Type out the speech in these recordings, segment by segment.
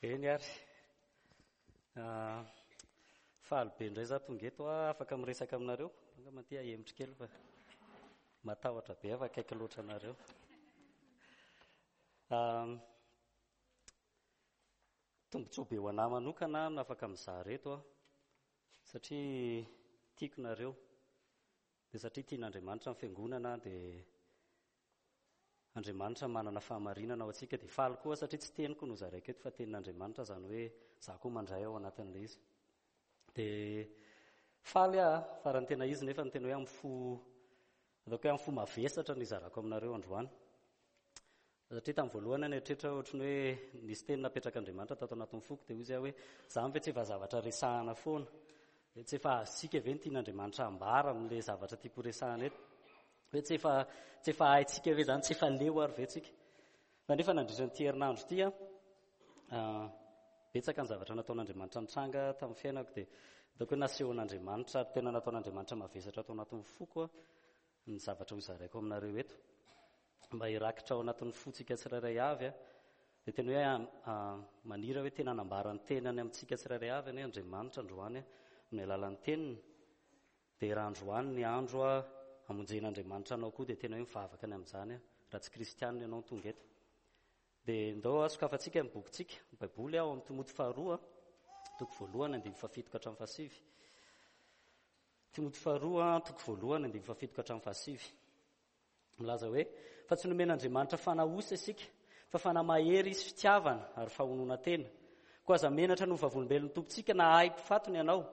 Eny ary. Faly be indray za tonga eto aho afaka miresaka aminareo. Angamba aty ahemotra kely fa matahotra be aho fa akaiky loatra anareo. Tombontsoa be ho anah manokana no afaka mizara eto aho satria tiako nareo. Dia satria tian'Andriamanitra ny fiangonana dia Andriamanitra manana fahamarinana ho antsika dia faly koa satria tsy teniko no zaraiko eto fa tenin'Andriamanitra izany hoe za koa mandray ao anatin'ilay izy. Dia faly aho fa raha ny tena izy nefa ny tena hoe amin'ny fo ataoko hoe amin'ny fo mavesatra no izarako aminareo androany. Satria tamin'ny voalohany aho nieritreritra ohatry ny hoe nisy teny napetrak'Andriamanitra tato anatin'ny foko dia hoy izy aho hoe izany ve tsy efa zavatra resahana foana? Tsy efa azontsika ve ny tian'Andriamanitra hambara amin'ilay zavatra tiako horesahana eto? Hoe tsy efa tsy efa haintsika ve izany, tsy efa leo ary ve tsika? Fa nefa nandritra an'ity herinandro ity aho, betsaka ny zavatra nataon'Andriamanitra nitranga tamin'ny fiainako dia ataoko hoe nasehon'Andriamanitra ary tena nataon'Andriamanitra mavesatra tao anatin'ny foko ny zavatra hozaraiko aminareo eto. Mba hirakitra ao anatin'ny fontsika tsirairay avy dia tena hoe maniry hoe tena hanambara ny tenany amintsika tsirairay avy anie Andriamanitra androany amin'ny alalan'ny teniny. Dia raha androany ny andro hamonjen'Andriamanitra anao koa dia tena hoe mivavaka ny amin'izany raha tsy kristianina ianao no tonga eto. Dia ndao sokafantsika ny bokintsika, ny Baiboly ao amin'ny Timoty faharoa, toko voalohany andininy fahafito ka hatramin'ny fahasivy. Timoty faharoa, toko voalohany andininy fahafito ka hatramin'ny fahasivy. Milaza hoe, Fa tsy nomen'Andriamanitra fanahy osa isika, fa fanahy mahery sy fitiavana ary fahononan-tena. Koa aza menatra ny ho vavolombelon'ny Tompontsika na ahy mpifatony ianao,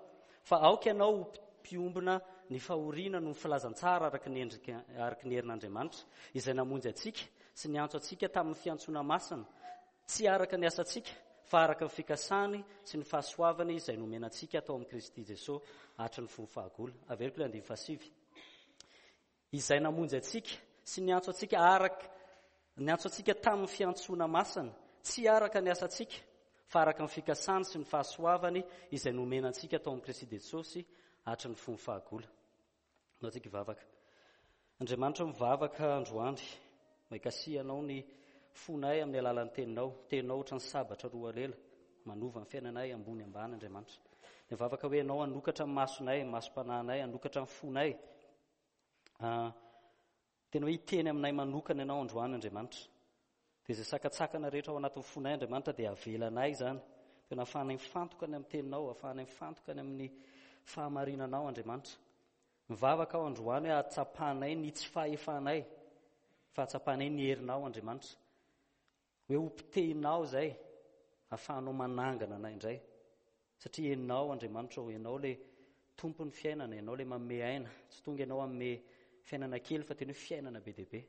fa aoka ianao ho mpiombona ny fahoriana noho ny filazantsara araka ny endrika araka ny herin'Andriamanitra, izay namonjy antsika sy niantso antsika tamin'ny fiantsoana masina, tsy araka ny asantsika, fa araka ny fikasany sy ny fahasoavany izay nomena antsika tao amin'i Kristy Jesoa hatry ny fony fahagola. Averiko ilay andininy fahasivy. Izay namonjy antsika sy niantso antsika araka niantso antsika tamin'ny fiantsoana masina, tsy araka ny asantsika, fa araka ny fikasany sy ny fahasoavany izay nomena antsika tao amin'i Kristy Jesosy hatry ny fony fahagola. Andao tsika hivavaka. Andriamanitra mivavaka androany, mba hikasihanao ny fonay amin'ny alalan'ny teninao, teninao ohatran'ny sabatra roa lela, manova ny fiainanay ambony ambany Andriamanitra. Mivavaka hoe ianao hanokatra ny masonay, ny masom-panahinay, hanokatra ny fonay. Ah, tena hoe hiteny aminay manokana ianao androany Andriamanitra. Dia izay sakantsakana rehetra ao anatin'ny fonay Andriamanitra dia avelanay izany. Tena ahafahanay mifantoka ny amin'ny teninao, ahafahanay mifantoka ny amin'ny fahamarinanao Andriamanitra. Mivavaka aho androany hoe ahatsapanay ny tsy fahefanay, fa ahatsapanay ny herinao Andriamanitra. Hoe ho potehinao izay, ahafahanao manangana anay indray. Satria Ianao Andriamanitra ô, Ianao ilay Tompon'ny fiainana, Ianao ilay manome aina. Tsy tonga Ianao hanome fiainana kely fa tena hoe fiainana be dia be.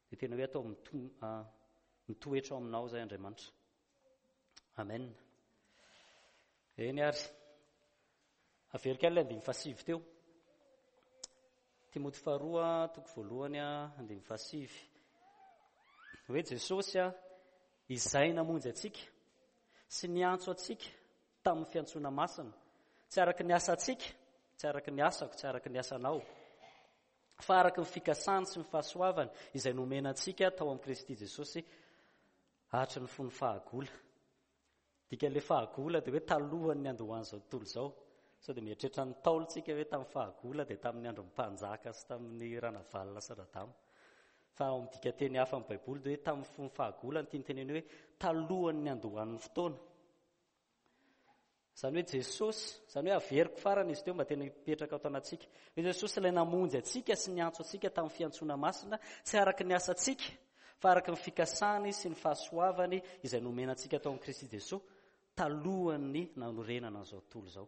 Dia tena hoe atao mitoetra ao aminao izay Andriamanitra. Amen. Eny ary. Averiko ihany ilay andininy fahasivy teo. Timoty faharoa, toko voalohany, andininy fahasivy. Hoe Jesosy izay namonjy antsika sy niantso antsika tamin'ny fiantsoana masina, tsy araka ny asantsika, tsy araka ny asako, tsy araka ny asanao, fa araka ny fikasany sy ny fahasoavany izay nomena antsika tao amin'i Kristy Jesosy hatry ny fony fahagola. Dikan'ilay fahagola dia hoe talohan'ny niandohan'izao tontolo izao. Sao dia mieritreritra ny Ntaolo tsika hoe tamin'ny fahagola dia tamin'ny andron'ny mpanjaka sy tamin'ny Ranavalona sy Radama. Fa ao amin'ny dikanteny hafa amin'ny Baiboly dia hoe tamin'ny fony fahagola no tiany teneno hoe talohan'ny niandohan'ny fotoana. Izany hoe Jesosy, izany hoe averiko farany izy teo mba tena hipetraka ato anatsika. Hoe Jesosy ilay namonjy antsika sy niantso antsika tamin'ny fiantsoana masina, tsy araka ny asantsika, fa araka ny fikasany sy ny fahasoavany izay nomena antsika tao amin'i Kristy Jesoa talohan'ny nanorenana an'izao tontolo izao.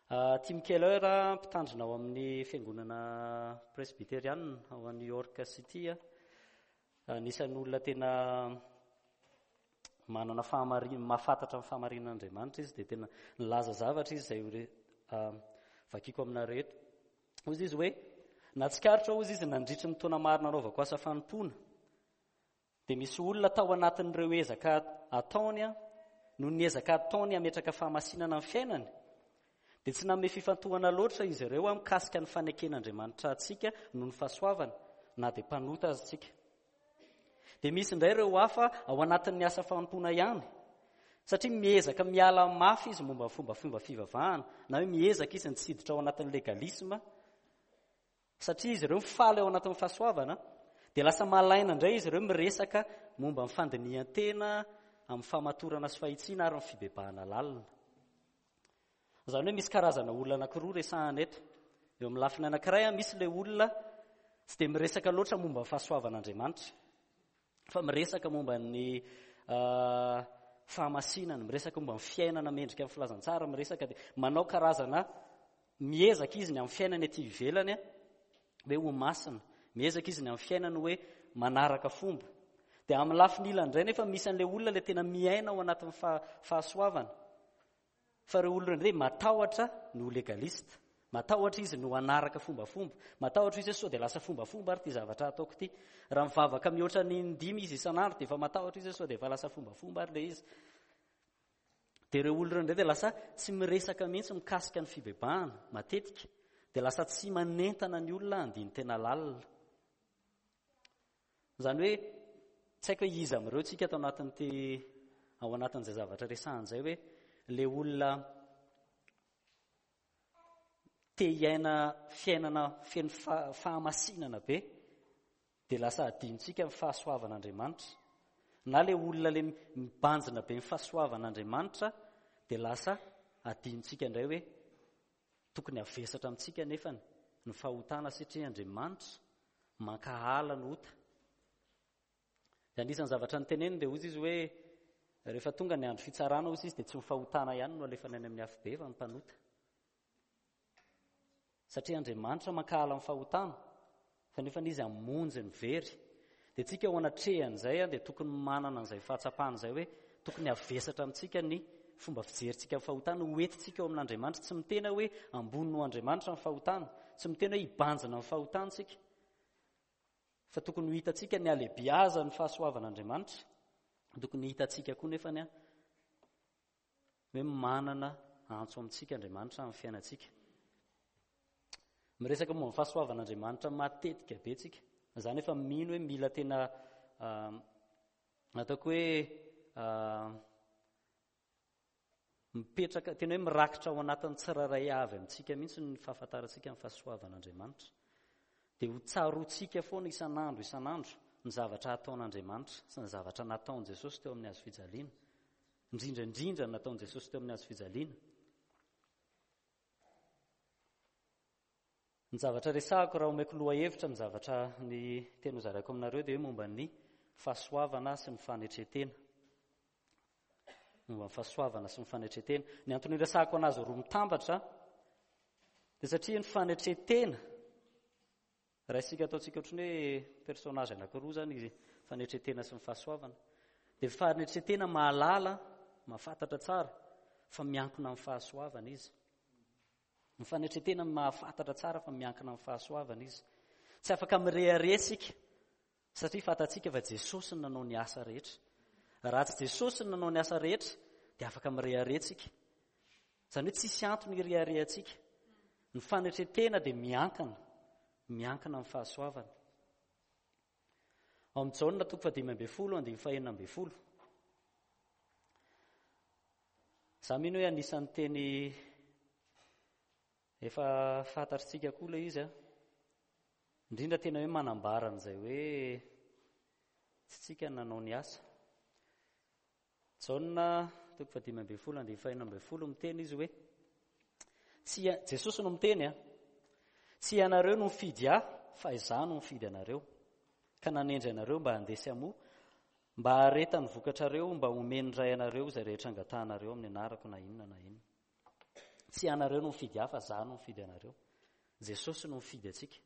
Ah, Tim Keller, mpitandrina ao amin'ny fiangonana presbyteriana ao New York City, anisan'ny olona tena manana fahamarinana, mahafantatra ny fahamarinan'Andriamanitra izy, dia tena nilaza zavatra izy izay ah, vakiko aminareo eto. Hoy izy hoe, Nahatsikaritra hozy izy nandritry ny taona maro nanaovako asa fanompoana, dia misy olona tao anatin'ireo ezaka ataony noho ny ezaka ataony hametraka fahamasinana amin'ny fiainany, dia tsy nanome fifantohana loatra izy ireo mikasika ny faneken'Andriamanitra antsika noho ny fahasoavana, na dia mpanota aza isika. Dia misy indray ireo hafa ao anatin'ny asa fanompoana ihany, satria miezaka miala mafy izy momba ny fombafomba fivavahana, na hoe miezaka izy ny tsy hiditra ao anatin'ny legalisme, satria izy ireo mifaly ao anatin'ny fahasoavana, dia lasa malaina indray izy ireo miresaka momba ny fandinihan-tena amin'ny famatorana sy fahitsiana ary ny fibebahana lalina. Izany hoe misy karazana olona anankiroa resahana eto. Eo amin'ny lafiny anankiray, misy ilay olona tsy dia miresaka loatra momba ny fahasoavan'Andriamanitra, fa miresaka momba ny ah, fahamasinana, miresaka momba ny fiainana mendrika amin'ny filazantsara, miresaka dia manao karazana miezaka izy ny amin'ny fiainany aty ivelany hoe ho masina, miezaka izy ny amin'ny fiainany hoe manaraka fomba. Dia amin'ny lafiny ilany indray nefa misy an'ilay olona ilay tena miaina ao anatin'ny fahasoavana. Fa ireo olona ireo indray matahotra ny ho legaliste. Matahotra izy ny ho hanaraka fombafomba. Matahotra izy hoe sao dia lasa fombafomba ary ity zavatra ataoko ity. Raha mivavaka mihoatra ny indimy izy isan'andro dia efa matahotra izy hoe sao dia efa lasa fombafomba ary ilay izy. Dia ireo olona ireo indray dia lasa tsy miresaka mihitsy mikasika ny fibebahana matetika. Dia lasa tsy manentana ny olona handini-tena lalina. Izany hoe tsy haiko hoe iza amin'ireo tsika ato anatin'ity ao anatin'izay zavatra resahana izay hoe le olona te hiaina fiainana feno fahamasinana be dia lasa adinontsika ny fahasoavan'Andriamanitra na le olona le mibanjina be ny fahasoavan'Andriamanitra dia lasa adinontsika indray hoe Tokony havesatra amintsika anefa ny fahotana satria Andriamanitra mankahala ny ota. Dia anisan'ny zavatra noteneniny dia hoy izy hoe rehefa tonga ny andro fitsarana hoy izy dia tsy ny fahotana ihany no alefany any amin'ny afobe fa ny mpanota. Satria Andriamanitra mankahala ny fahotana fa nefa izy hamonjy ny very. Dia tsika ao anatrehan'izay dia tokony manana an'izay fahatsapana izay hoe tokony havesatra amintsika ny fomba fijerintsika ny fahotana, ho entintsika eo amin'Andriamanitra. Tsy miteny hoe ambony noho Andriamanitra ny fahotana, tsy miteny hoe hibanjina ny fahotana isika, fa tokony ho hitantsika ny halehibiazan'ny fahasoavan'Andriamanitra. Tokony hitantsika koa nefa ny hoe manana antso amintsika Andriamanitra amin'ny fiainantsika. Miresaka momba ny fahasoavan'Andriamanitra matetika be tsika. Za nefa mino hoe mila tena ah, ataoko hoe ah, mipetraka tena hoe mirakitra ao anatin'ny tsirairay avy amintsika mihitsy ny fahafantarantsika ny fahasoavan'Andriamanitra. Dia ho tsaroantsika foana isan'andro isan'andro ny zavatra ataon'Andriamanitra sy ny zavatra nataon'i Jesosy teo amin'ny hazo fijaliana. Indrindra indrindra ny nataon'i Jesosy teo amin'ny hazo fijaliana. Ny zavatra resahako raha omeko lohahevitra ny zavatra ny teny hozaraiko aminareo dia hoe momba ny fahasoavana sy ny fanetren-tena. Momba ny fahasoavana sy ny fanetren-tena. Ny antony iresahako anazy roa mitambatra dia satria ny fanetren-tena Raha isika ataontsika ohatran'ny hoe personnage anankiroa izany izy, fanetren-tena sy ny fahasoavana. Dia fanetren-tena mahalala, mahafantatra tsara fa miankina amin'ny fahasoavana izy. Ny fanetren-tena mahafantatra tsara fa miankina amin'ny fahasoavana izy. Tsy afaka mirehareha isika satria fantatsika fa Jesosy no nanao ny asa rehetra. Raha tsy Jesosy no nanao ny asa rehetra dia afaka mirehareha isika. Izany hoe tsisy antony hireharehantsika. Ny fanetren-tena dia miankina, miankina amin'ny fahasoavana. Ao amin'ny Jaona toko fahadimy ambin'ny folo andininy fahenina ambin'ny folo. Za mino hoe anisan'ny teny efa fantatritsika koa ilay izy a. Indrindra tena hoe manambara an'izay hoe tsy tsika nanao ny asa. Jaona toko fahadimy ambin'ny folo andininy fahenina ambin'ny folo miteny izy hoe tsy Jesosy no miteny a tsy ianareo no mifidy ahy fa izaho no mifidy anareo ka nanendry anareo mba handeha sy hamoa mba haharetan'ny vokatrareo mba homen'ny ray anareo izay rehetra angatahanareo amin'ny anarako na inona na inona Tsy ianareo no mifidy ahy fa za no mifidy anareo. Jesosy no mifidy antsika.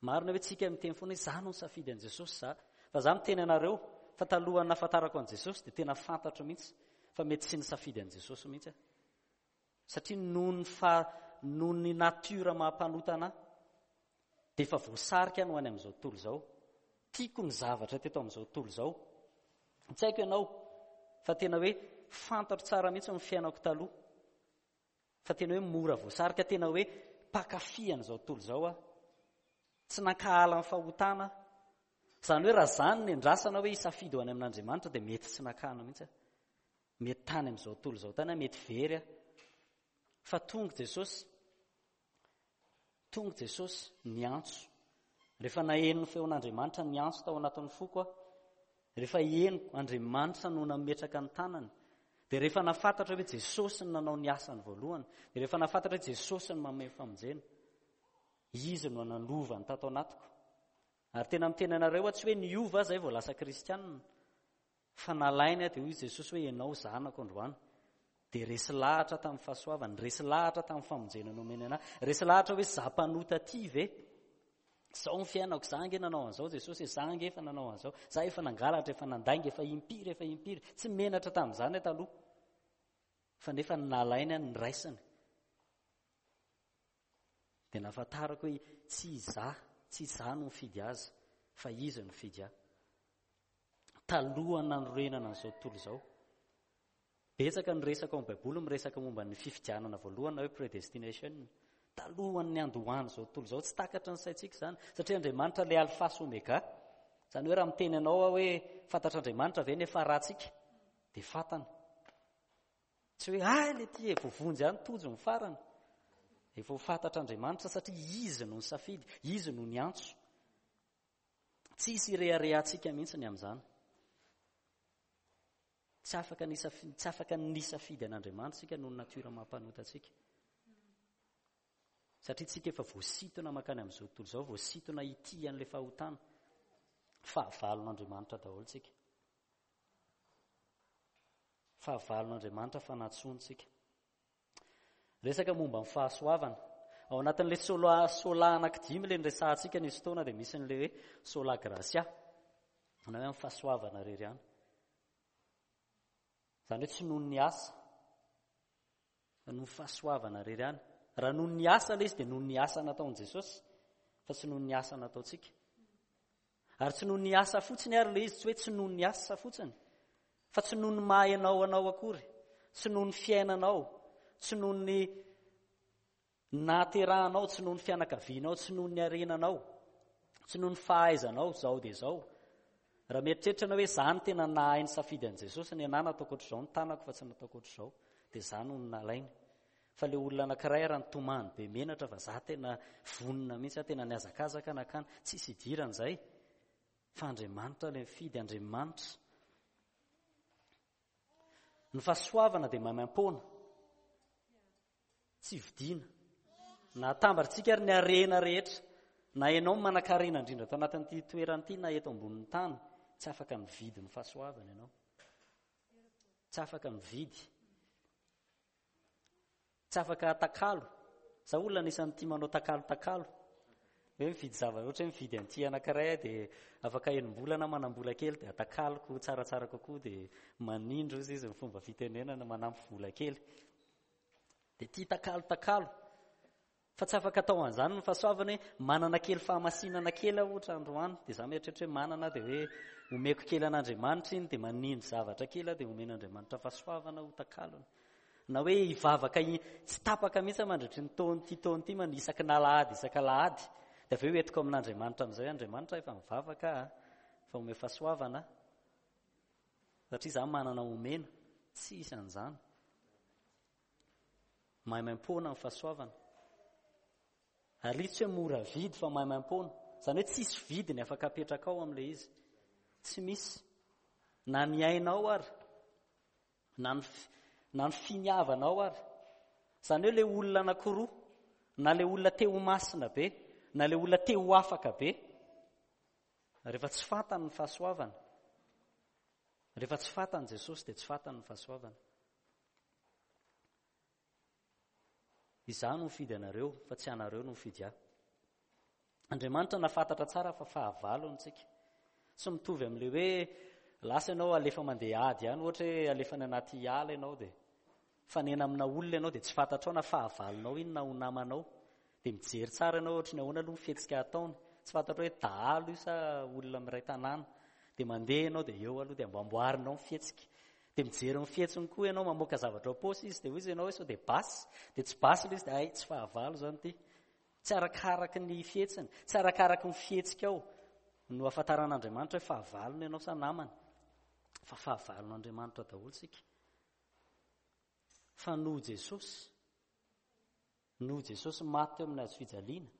Marina hoe tsika miteny foana hoe za no nisafidy an'i Jesosy za. Fa za miteny anareo fa talohan'ny nahafantarako an'i Jesosy dia tena fantatro mihitsy fa mety tsy nisafidy an'i Jesosy mihitsy aho. Satria noho ny fa noho ny nature maha mpanota anahy dia efa voasarika no any amin'izao tontolo izao. Tiako ny zavatra teto amin'izao tontolo izao. Tsy haiko ianao fa tena hoe fantatro tsara mihitsy ny fiainako taloha. Fa tena hoe mora voasarika, tena hoe mpankafy an'izao tontolo izao aho. Tsy nankahala ny fahotana aho. Izany hoe raha izany ny andrasana hoe hisafidy ho any amin'Andriamanitra dia mety tsy nakana mihitsy aho. Mety tany amin'izao tontolo izao tany aho, mety very aho. Fa tonga Jesosy, tonga Jesosy niantso. Rehefa naheno ny feon'Andriamanitra niantso tao anatin'ny foko aho, rehefa henoko Andriamanitra no nametraka ny tanany, dia rehefa nafantatra hoe Jesosy no nanao ny asany voalohany, dia rehefa nafantatra hoe Jesosy no manome famonjena, Izy no nanova ny tato anatiko. Ary tena miteny anareo aho, tsy hoe niova aho izay vao lasa kristianina, fa nalainy aho dia hoy Jesosy hoe ianao zanako androany. Dia resy lahatra tamin'ny fahasoavany, resy lahatra tamin'ny famonjena nomeny anahy, resy lahatra hoe za mpanota ty ve? Zao ny fiainako, za ange nanao an'izao Jesosy, za ange efa nanao an'izao, za efa nangalatra, efa nandainga, efa impiry, efa impiry, tsy menatra tamin'izany aho taloha. Fa nefa nalainy aho, niraisiny. Dia nahafantarako hoe tsy izaho, tsy izaho no nifidy azy, fa izy no nifidy ahy. Talohan'ny nanorenana an'izao tontolo izao. Betsaka ny resaka ao amin'ny Baiboly miresaka momba ny fifidianana voalohany na hoe predestination. Talohan'ny niandohan'izao tontolo izao, tsy takatry ny saintsika izany, satria Andriamanitra ilay Alpha sy Omega. Izany hoe raha miteny anao aho hoe fantatr'Andriamanitra ve ny hafarantsika, dia fantany. Tsy hoe hay le ty e, voavonjy ihany tojo ny farany. Efa ho fantatr'Andriamanitra satria Izy no nisafidy, Izy no niantso. Tsy hisy ireharehantsika mihitsy ny amin'izany. Tsy afaka nisafidy, tsy afaka nisafidy an'Andriamanitra isika noho ny natiora maha-mpanota antsika. Satria tsika efa voasintona mankany amin'izao tontolo izao, voasintona hitia an'ilay fahotana. Fahavalon'Andriamanitra daholo tsika. Fahavalon'Andriamanitra fa nantsoiny tsika. Resaka momba ny fahasoavana. Ao anatin'ilay sola sola anankidimy ilay niresahantsika nisy fotoana dia misy an'ilay hoe sola gratia. Na hoe amin'ny fahasoavana irery ihany. Izany hoe tsy noho ny asa fa noho ny fahasoavana irery ihany. Raha noho ny asa ilay izy dia noho ny asa nataon'i Jesosy fa tsy noho ny asa nataontsika. Ary tsy noho ny asa fotsiny ary ilay izy, tsy hoe tsy noho ny asa fotsiny, fa tsy noho ny maha ianao anao akory, tsy noho ny fiainanao, tsy noho ny nahaterahanao, tsy noho ny fianakavianao, tsy noho ny harenanao, tsy noho ny fahaizanao, izao dia izao. Raha mieritreritra ianao hoe izaho no tena nahay nisafidy an'i Jesosy, ny anà nataoko ohatr'izao ny tanako fa tsy nataoko ohatr'izao, dia izaho no nalainy. Fa le olona anakiray ara nitomany be menatra fa za tena vonona mihitsy aho tena nihazakazaka nakany, tsisy idirany zay fa Andriamanitra le mifidy, Andriamanitra. Ny fahasoavana dia maimaimpoana, tsy vidiana. Na atambarintsika ary ny harena rehetra, na ianao manan-karena indrindra ato anatin'ity toerana ity na eto ambonin'ny tany, tsy afaka mividy ny fahasoavana ianao. Tsy afaka mividy. Tsy afaka atakalo. Za olona anisan'ny tia manao takalo takalo. Hoe mividy zavatra, ohatra hoe mividy an'ity anankiray aho dia afaka enim-bolana aho manam-bola kely dia atakaloko tsaratsara kokoa dia manindry hozy izy ny fomba fitenenana, manampy vola kely. Dia tia takalo takalo. Fa tsy afaka atao an'izany ny fahasoavana hoe manana kely fahamasinana kely aho ohatra androany dia za mieritreritra hoe manana aho dia hoe omeko kely an'Andriamanitra iny dia manindry zavatra kely aho dia omen'Andriamanitra fahasoavana ho takalony. Na hoe hivavaka tsy tapaka mihitsy aho mandritry ny taona ity taona ity man isaky ny alahady isaka alahady dia avy eo entiko amin'Andriamanitra amin'izay hoe Andriamanitra efa mivavaka aho fa omeo fahasoavana aho satria za manana omena. Tsy hisy an'izany. Maimaimpoana ny fahasoavana. Ary tsy hoe mora vidy fa maimaimpoana. Izany hoe tsisy vidiny afaka apetrakao amin'ilay izy. Tsy misy. Na ny ainao ary, na ny, na ny finiavanao ary. Izany hoe ilay olona anankiroa, na ilay olona te ho masina be, na ilay olona te ho afaka be, rehefa tsy fantany ny fahasoavana, rehefa tsy fantany Jesosy dia tsy fantany ny fahasoavana. Izaho no mifidy anareo, fa tsy anareo no mifidy ahy. Andriamanitra nahafantatra tsara fa fahavalony tsika. Tsy mitovy amin'ilay hoe lasa ianao alefa mandeha ady ihany, ohatra hoe alefa any anaty ala ianao dia fanena amina olona ianao dia tsy fantatrao na fahavalonao iny na ho namanao. Dia mijery tsara ianao ohatry ny ahoana aloha ny fihetsika ataony. Tsy fantatrao hoe dahalo io sa olona miray tanàna. Dia mandeha ianao dia eo aloha dia amboamboarinao ny fihetsika. Dia mijery ny fihetsiny koa ianao, mamoaka zavatra ao am-paosy izy, dia hoy izy ianao hoe sao dia basy. Dia tsy basy ilay izy dia hay tsy fahavalo izany ity. Tsy arakaraky ny fihetsiny, tsy arakaraky ny fihetsikao. no ahafantaran'Andriamanitra hoe fahavalony ianao sa namany. Fa fahavalon'Andriamanitra daholo isika. Fa noho Jesosy, noho Jesosy maty teo amin'ny hazo fijaliana,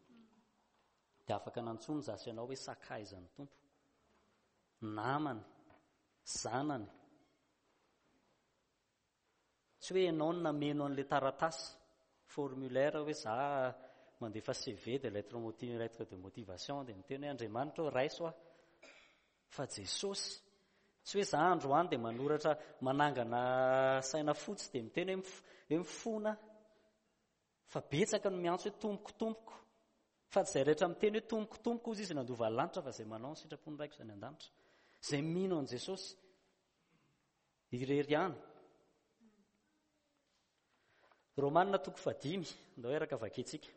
dia afaka nantsoiny za sy ianao hoe sakaizan'ny Tompo. Namany, zanany. Tsy hoe ianao no nameno an'ilay taratasy, formulaire hoe za mandefa CV dia lettre motiv, lettre de motivation dia miteny hoe Andriamanitra ô raiso aho. Fa Jesosy, tsy hoe za androany dia manoratra manangana saina fotsy dia miteny hoe hoe mifona fa betsaka no miantso hoe tompoko tompoko. Fa tsy izay rehetra miteny hoe tompoko tompoko hozy izy nandova lanitra fa izay manao ny sitrapon'ny Raiko izay any an-danitra. Izay mino an'i Jesosy irery ihany. Romanina toko fahadimy, ndao hiaraka vakintsika.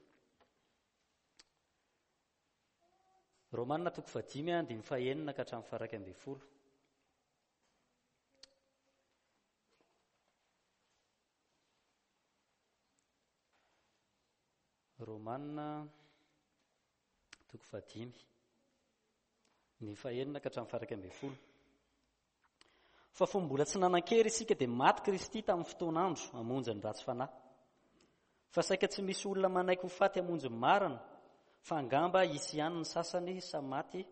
Romanina toko fahadimy andininy fahenina ka hatramin'ny faharaika ambin'ny folo. Romanina toko fahadimy ny fahenina ka hatramin'ny faharaika ambin'ny folo. Fa fony mbola tsy nanan-kery isika dia maty Kristy tamin'ny fotoan'andro hamonjy ny ratsy fanahy. Fa saika tsy misy olona manaiky ho faty hamonjy ny marina, fa angamba hisy ihany ny sasany sa maty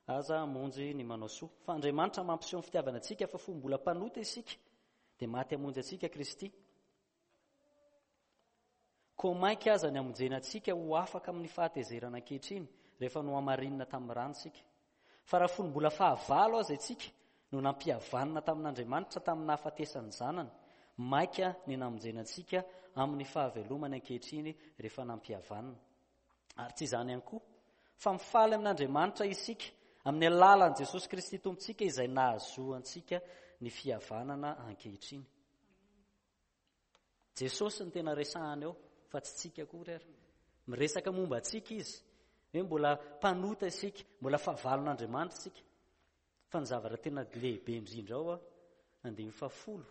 aza hamonjy ny manao soa. Fa Andriamanitra mampiseho ny fitiavana antsika fa fony mbola mpanota isika dia maty hamonjy antsika Kristy. Koa mainka aza ny hamonjena antsika ho afaka amin'ny fahatezerana ankehitriny, rehefa nohamarinina tamin'ny rany isika. Fa raha fony mbola fahavalo aza isika no nampihavanina tamin'Andriamanitra tamin'ny nahafatesan'ny Zanany, mainka ny namonjena antsika amin'ny fahavelomany ankehitriny rehefa nampihavanina. Ary tsy izany ihany koa, fa mifaly amin'Andriamanitra isika amin'ny alalan'i Jesosy Kristy Tompontsika izay nahazoantsika ny fihavanana ankehitriny. Jesosy no tena resahana eo fa tsy tsika akory ary. Miresaka momba antsika izy. Hoe mbola mpanota isika, mbola fahavalon'Andriamanitra isika. Fa ny zavatra tena lehibe indrindra ao, andininy fahafolo,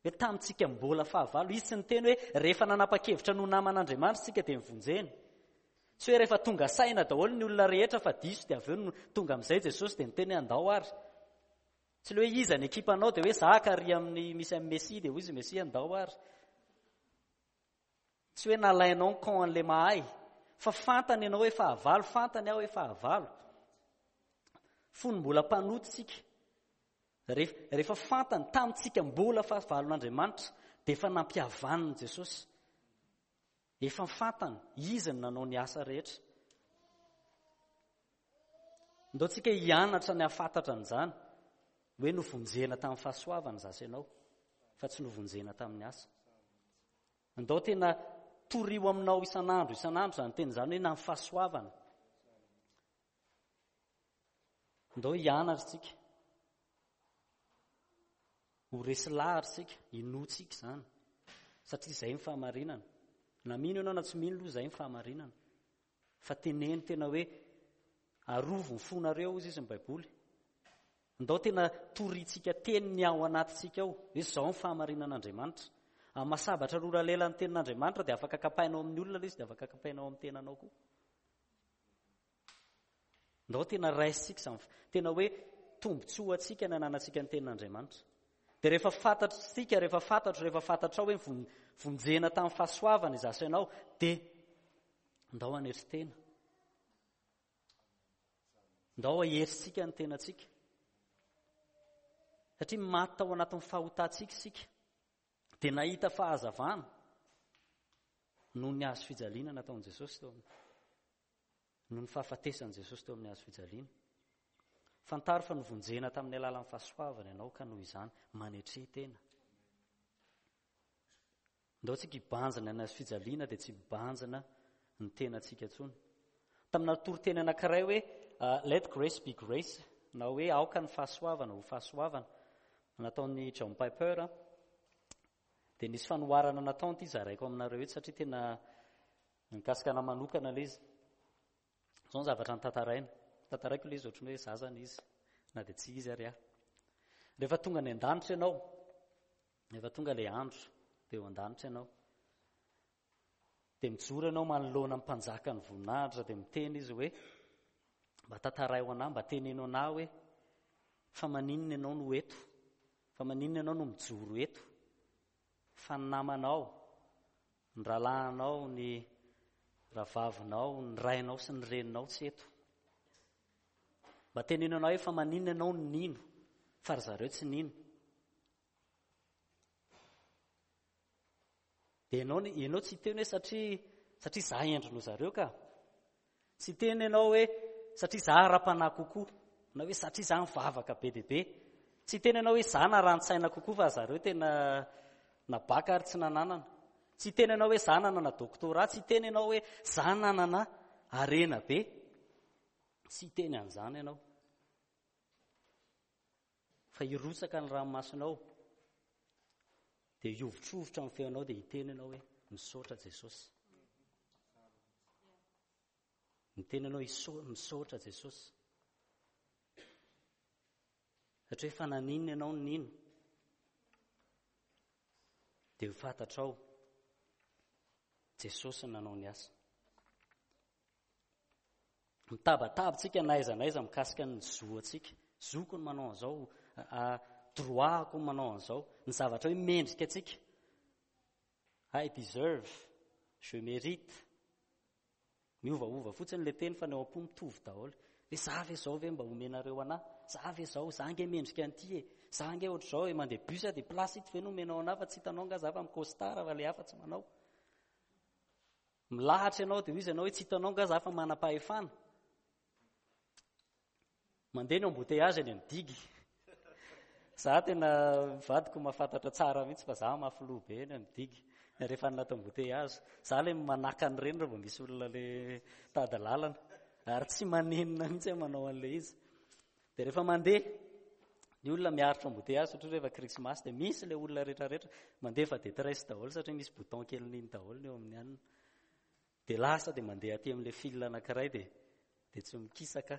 hoe tamintsika mbola fahavalo, izy tsy niteny hoe rehefa nanapa-kevitra no naman'Andriamanitra isika dia nivonjeny. Tsy hoe rehefa tonga saina daholo ny olona rehetra fa diso dia avy eo no tonga amin'izay Jesosy dia niteny hoe andao ary. Tsy le hoe iza ny ekipanao dia hoe za kary amin'ny misy an'i Messi dia hoy izy Messi andao ary. Tsy hoe nalainao ny camp an'le mahay fa fantany ianao hoe fahavalo, fantany aho hoe fahavalo. Fony mbola mpanota isika, rehefa fantany tamintsika mbola fahavalon'Andriamanitra dia efa nampihavaniny Jesosy. Efa fantany, izy no nanao ny asa rehetra. Ndao tsika hianatra ny hahafantatra an'izany, hoe novonjena tamin'ny fahasoavana izaho sy ianao, fa tsy novonjena tamin'ny asa. Ndao tena torio aminao isan'andro isan'andro izany teny izany hoe na ny fahasoavana. Ndao hianatra isika. Ho resy lahatra isika, inoantsika izany. Satria izay ny fahamarinana. Na mino ianao na tsy mino aloha izay ny fahamarinana. Fa teneno tena hoe arovy ny fonareo hozy izy ny Baiboly. Ndao tena torintsika teny ny ao anatintsika ao, hoe izao ny fahamarinan'Andriamanitra. Amin'ny maha sabatra rora lela ny tenin'Andriamanitra dia afaka kapainao amin'ny olona ilay izy dia afaka kapainao amin'ny tenanao koa. Ndao tena raisintsika izany, tena hoe tombontsoa antsika ny ananantsika ny tenin'Andriamanitra. Dia rehefa fantatritsika, rehefa fantatro, rehefa fantatrao hoe vonjena tamin'ny fahasoavana izaho sy ianao, dia ndao hanetry tena. Ndao haherintsika ny tenantsika. Satria maty tao anatin'ny fahotantsika isika. Dia nahita fahazavana noho ny hazo fijaliana nataon'i Jesosy teo aminy. Noho ny fahafatesan'i Jesosy teo amin'ny hazo fijaliana. Fantaro fa novonjena tamin'ny alalan'ny fahasoavana ianao ka noho izany manetre tena. Ndao tsika hibanjina ny hazo fijaliana dia tsy hibanjina ny tenantsika intsony. Tamina toriteny anankiray hoe ah, let grace be grace na hoe aoka ny fahasoavana ho fahasoavana nataon'i John Piper dia nisy fanoharana nataony ity zaraiko aminareo eto satria tena mikasika ana manokana ilay izy. Izao ny zavatra notantaraina. Tantaraiko ilay izy ohatran'ny hoe za zany izy na dia tsy izy ary aho. Rehefa tonga any an-danitra ianao, rehefa tonga ilay andro dia eo an-danitra ianao. Dia mijoro ianao manoloana ny mpanjakan'ny voninahitra dia miteny izy hoe. Mba tantaraio anah, mba teneno anah hoe fa maninona ianao no eto? Fa maninona ianao no mijoro eto? Fa ny namanao, ny rahalahinao, ny rahavavinao, ny rainao sy ny reninao tsy eto. Mba teneno anah hoe fa maninona ianao no nino fa ry zareo tsy nino. Dia ianao, ianao tsy hiteny hoe satria satria za hendry noho zareo ka. Tsy hiteny ianao hoe satria za ara-panahy kokoa, na hoe satria za mivavaka be dia be. Tsy hiteny ianao hoe za naran-tsaina kokoa fa zareo tena nabaka ary tsy nananana. Tsy hiteny ianao hoe za nanana doctorat, tsy hiteny ianao hoe za nanana harena be. Tsy hiteny an'izany ianao. Fa hirotsaka ny ranomasonao, dia hihovitrovitra ny feonao, dia hiteny ianao hoe, misaotra Jesosy. Miteny ianao, misaotra Jesosy. Satria efa naninona ianao no nino, dia ho fantatrao Jesosy nanao ny asa. Mitabataba tsika na aiza na aiza mikasika ny zo antsika. Zoko ny manao an'izao, droit-ko ny manao an'izao. Ny zavatra hoe mendrika antsika. I deserve, je mérite. Miovaova fotsiny ilay teny fa ny ao am-po mitovy daholo. Hoe za ve izao ve mba omenareo anah? Za ve izao? Za ange mendrika an'ity e. Za ange ohatr'izao e, mandeha bus aho dia place ito ve no omenao anah fa tsy hitanao angaha za fa mi-costard fa ilay hafa tsy manao. Milahatra ianao dia hoy izy ianao hoe tsy hitanao nga za fa manam-pahefana. Mandeha ny embouteillage eny amin'ny digue. Za tena vadiko mahafantatra tsara mihitsy fa za mafy loha be eny amin'ny digue rehefa anaty embouteillage. Za le manaka an'ireny raha vao misy olona le tady lalana ary tsy manenina mihitsy aho manao an'ilay izy. Dia rehefa mandeha ny olona miaritra embouteillage satria rehefa krismasy dia misy ilay olona rehetrarehetra mandefa détresse daholo satria misy bouton kelin'iny daholo ny eo amin'ny anona. Dia lasa dia mandeha aty amin'ilay fil anankiray dia dia tsy mikisaka.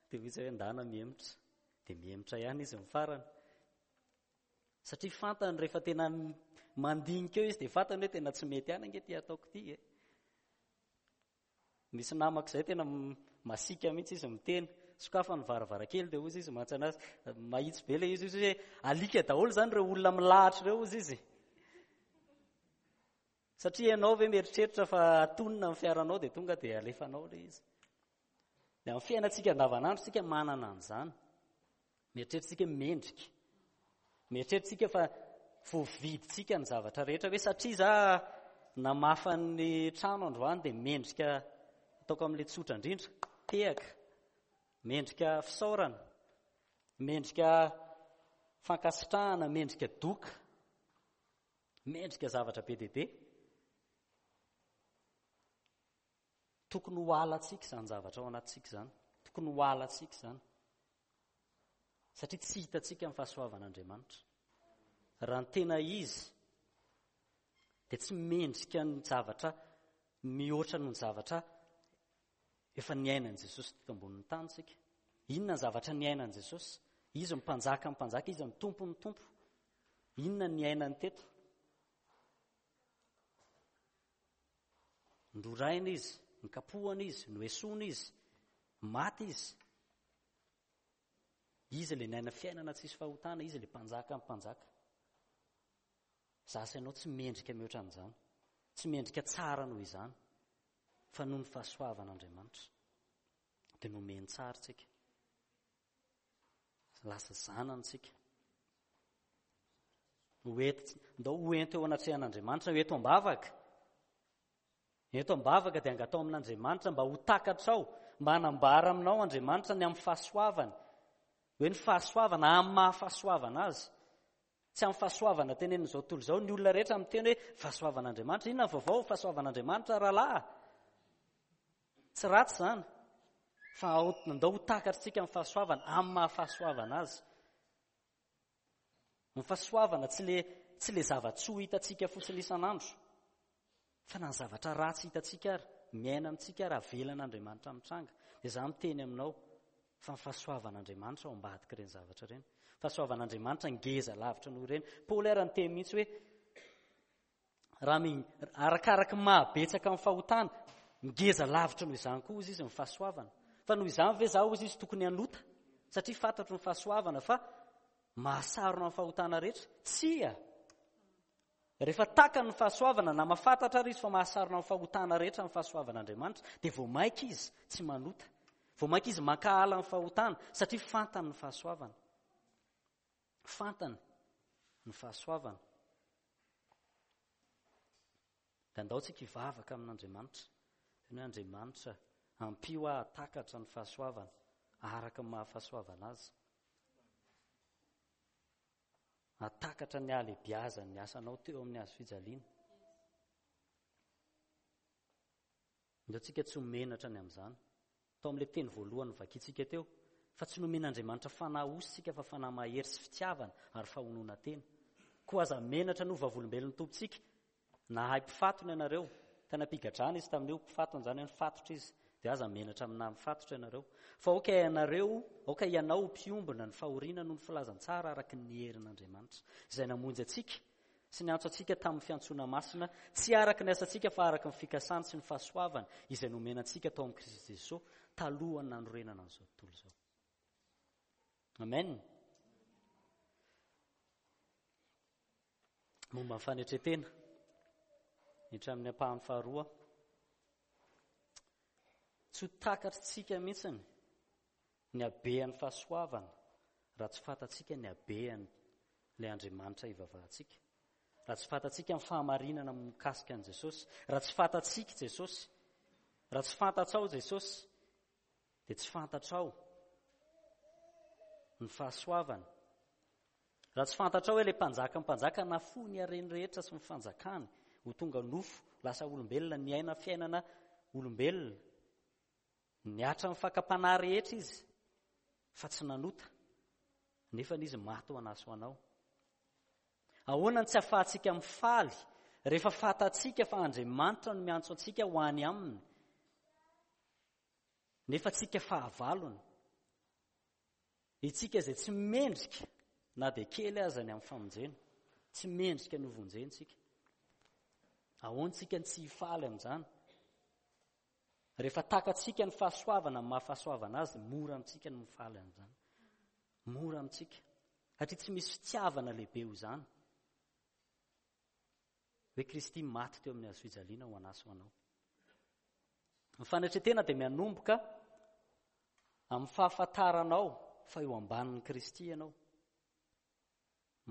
Dia hoy izy hoe ndana mihemotra. Dia mihemotra ihany izy ny farany. Satria fantany rehefa tena mandinika eo izy dia fantany hoe tena tsy mety ihany ange ity ataoko ity e. Misy namako izay tena masiaka mihitsy izy miteny. Sokafa ny varavarankely dia hozy izy mantsy anazy. Mahitsy be ilay izy hozy hoe alika daholo izany ireo olona milahatra ireo hozy izy. Satria ianao ve mieritreritra fa atonina ny fiaranao dia tonga dia alefanao ilay izy. Dia amin'ny fiainantsika andavanandro isika manana an'izany. Mieritreritra isika hoe mendrika. Mieritreritra isika fa voavidintsika ny zavatra rehetra hoe satria za namafa ny trano androany dia mendrika ataoko amin'ilay tsotra indrindra, tehaka, mendrika fisaorana, mendrika fankasitrahana, mendrika doka, mendrika zavatra be dia be. Tokony ho halantsika izany zavatra ao anatintsika izany. Tokony ho halantsika izany. Satria tsy hitantsika ny fahasoavan'Andriamanitra. Raha ny tena izy, dia tsy mendrika ny zavatra mihoatra noho ny zavatra efa niainan'i Jesosy teto ambonin'ny tany isika. Inona ny zavatra niainan'i Jesosy? Izy ny mpanjaka ny mpanjaka, izy ny tompon'ny tompo. Inona ny niainany teto? Noraina izy, nokapohana izy, noesoina izy, maty izy. Izy ilay niaina fiainana tsisy fahotana, izy ilay mpanjaka ny mpanjaka. Za sy ianao tsy mendrika mihoatra an'izany. Tsy mendrika tsara noho izany. Fa noho ny fahasoavan'Andriamanitra dia nomeny tsara tsika. Lasa zanany tsika. Ho enti, ndao ho ento eo anatrehan'Andriamanitra, ho eto am-bavaka. Eto am-bavaka dia angatao amin'Andriamanitra mba ho takatrao, mba hanambara aminao Andriamanitra ny amin'ny fahasoavany. Hoe ny fahasoavana amin'ny maha fahasoavana azy. Tsy amin'ny fahasoavana tenenin'izao tontolo izao, ny olona rehetra miteny hoe fahasoavan'Andriamanitra. Inona ny vaovao? Fahasoavan'Andriamanitra rahalahy. Tsy ratsy izany. Fa andao ho takatritsika ny fahasoavana amin'ny maha fahasoavana azy. Ny fahasoavana tsy le tsy le zava-tsoa hitantsika fotsiny isan'andro, fa na ny zavatra ratsy hitantsika ary, miaina amintsika ary avelan'Andriamanitra mitranga. Dia izaho miteny aminao fa ny fahasoavan'Andriamanitra ao ambadik'ireny zavatra ireny. Fahasoavan'Andriamanitra ngeza lavitra noho ireny. Paoly ary niteny mihitsy hoe raha mi, arakaraky ny mahabetsaka ny fahotana, ngeza lavitra noho izany koa hozy izy ny fahasoavana. Fa noho izany ve izaho, hozy izy, tokony hanota, satria fantatro ny fahasoavana fa mahasarona ny fahotana rehetra? Tsia! Rehefa takany ny fahasoavana, na mahafantatra ary izy fa mahasarona ny fahotana rehetra ny fahasoavan'Andriamanitra, dia vao mainka izy tsy manota. Vao mainka izy mankahala ny fahotana, satria fantany ny fahasoavana. Fantany ny fahasoavana. Dia andao tsika hivavaka amin'Andriamanitra. Teny hoe Andriamanitra, ampio aho hahatakatra ny fahasoavana araka ny maha-fahasoavana azy. Hahatakatra ny halehibiazan'ny asanao teo amin'ny hazo fijaliana. Andao tsika tsy ho menatra ny amin'izany. Tao amin'ilay teny voalohany novakintsika teo, fa tsy nomen'Andriamanitra fanahy osy isika fa fanahy mahery sy fitiavana ary fahononan-tena. Koa aza menatra ny ho vavolombelon'ny Tompontsika. Nahay mpifatona ianareo. Tany am-pigadrana izy tamin'io, mpifatona izany hoe nifatotra izy. Dia aza menatra amin'ny naha mifatotra ianareo. Fa aoka ianareo, aoka ianao ho mpiombona ny fahoriana noho ny filazantsara araka ny herin'Andriamanitra, izay namonjy antsika sy niantso antsika tamin'ny fiantsoana masina, tsy araka ny asantsika fa araka ny fikasany sy ny fahasoavany izay nomena antsika tao amin'i Kristy Jesoa talohan'ny nanorenana an'izao tontolo izao. Amen. Momba ny fanetren-tena, hiditra amin'ny ampahany faharoa. Tsy ho takatritsika mihitsy ny habean'ny fahasoavana raha tsy fantatsika ny habean'ilay Andriamanitra ivavahantsika, raha tsy fantatsika ny fahamarinana mikasika an'i Jesosy, raha tsy fantatsika Jesosy, raha tsy fantatrao Jesosy, dia tsy fantatrao ny fahasoavana. Raha tsy fantatrao hoe ilay mpanjakan'ny mpanjaka nafoy ny hareny rehetra sy ny fanjakany ho tonga nofo, lasa olombelona, niaina fiainana olombelona, Niatra ny fakam-panahy rehetra izy fa tsy nanota, nefa izy maty ho an'ahy sy ho anao. Ahoana no tsy ahafahantsika mifaly rehefa fantatsika fa Andriamanitra no miantso antsika ho any aminy, nefa tsika fahavalony? Itsika izay tsy mendrika na dia kely aza ny amin'ny famonjena, tsy mendrika ny hovonjena tsika. Ahoana tsika no tsy hifaly amin'izany? Rehefa takatsika ny fahasoavana amin'ny maha fahasoavana azy, mora amintsika ny mifaly an'izany. Mora amintsika. Satria tsy misy fitiavana lehibe ho izany. Hoe Kristy maty teo amin'ny hazo fijaliana ho an'ahy sy ho anao. Ny fanetretena dia mianomboka amin'ny fahafantaranao fa eo ambanin'i Kristy ianao.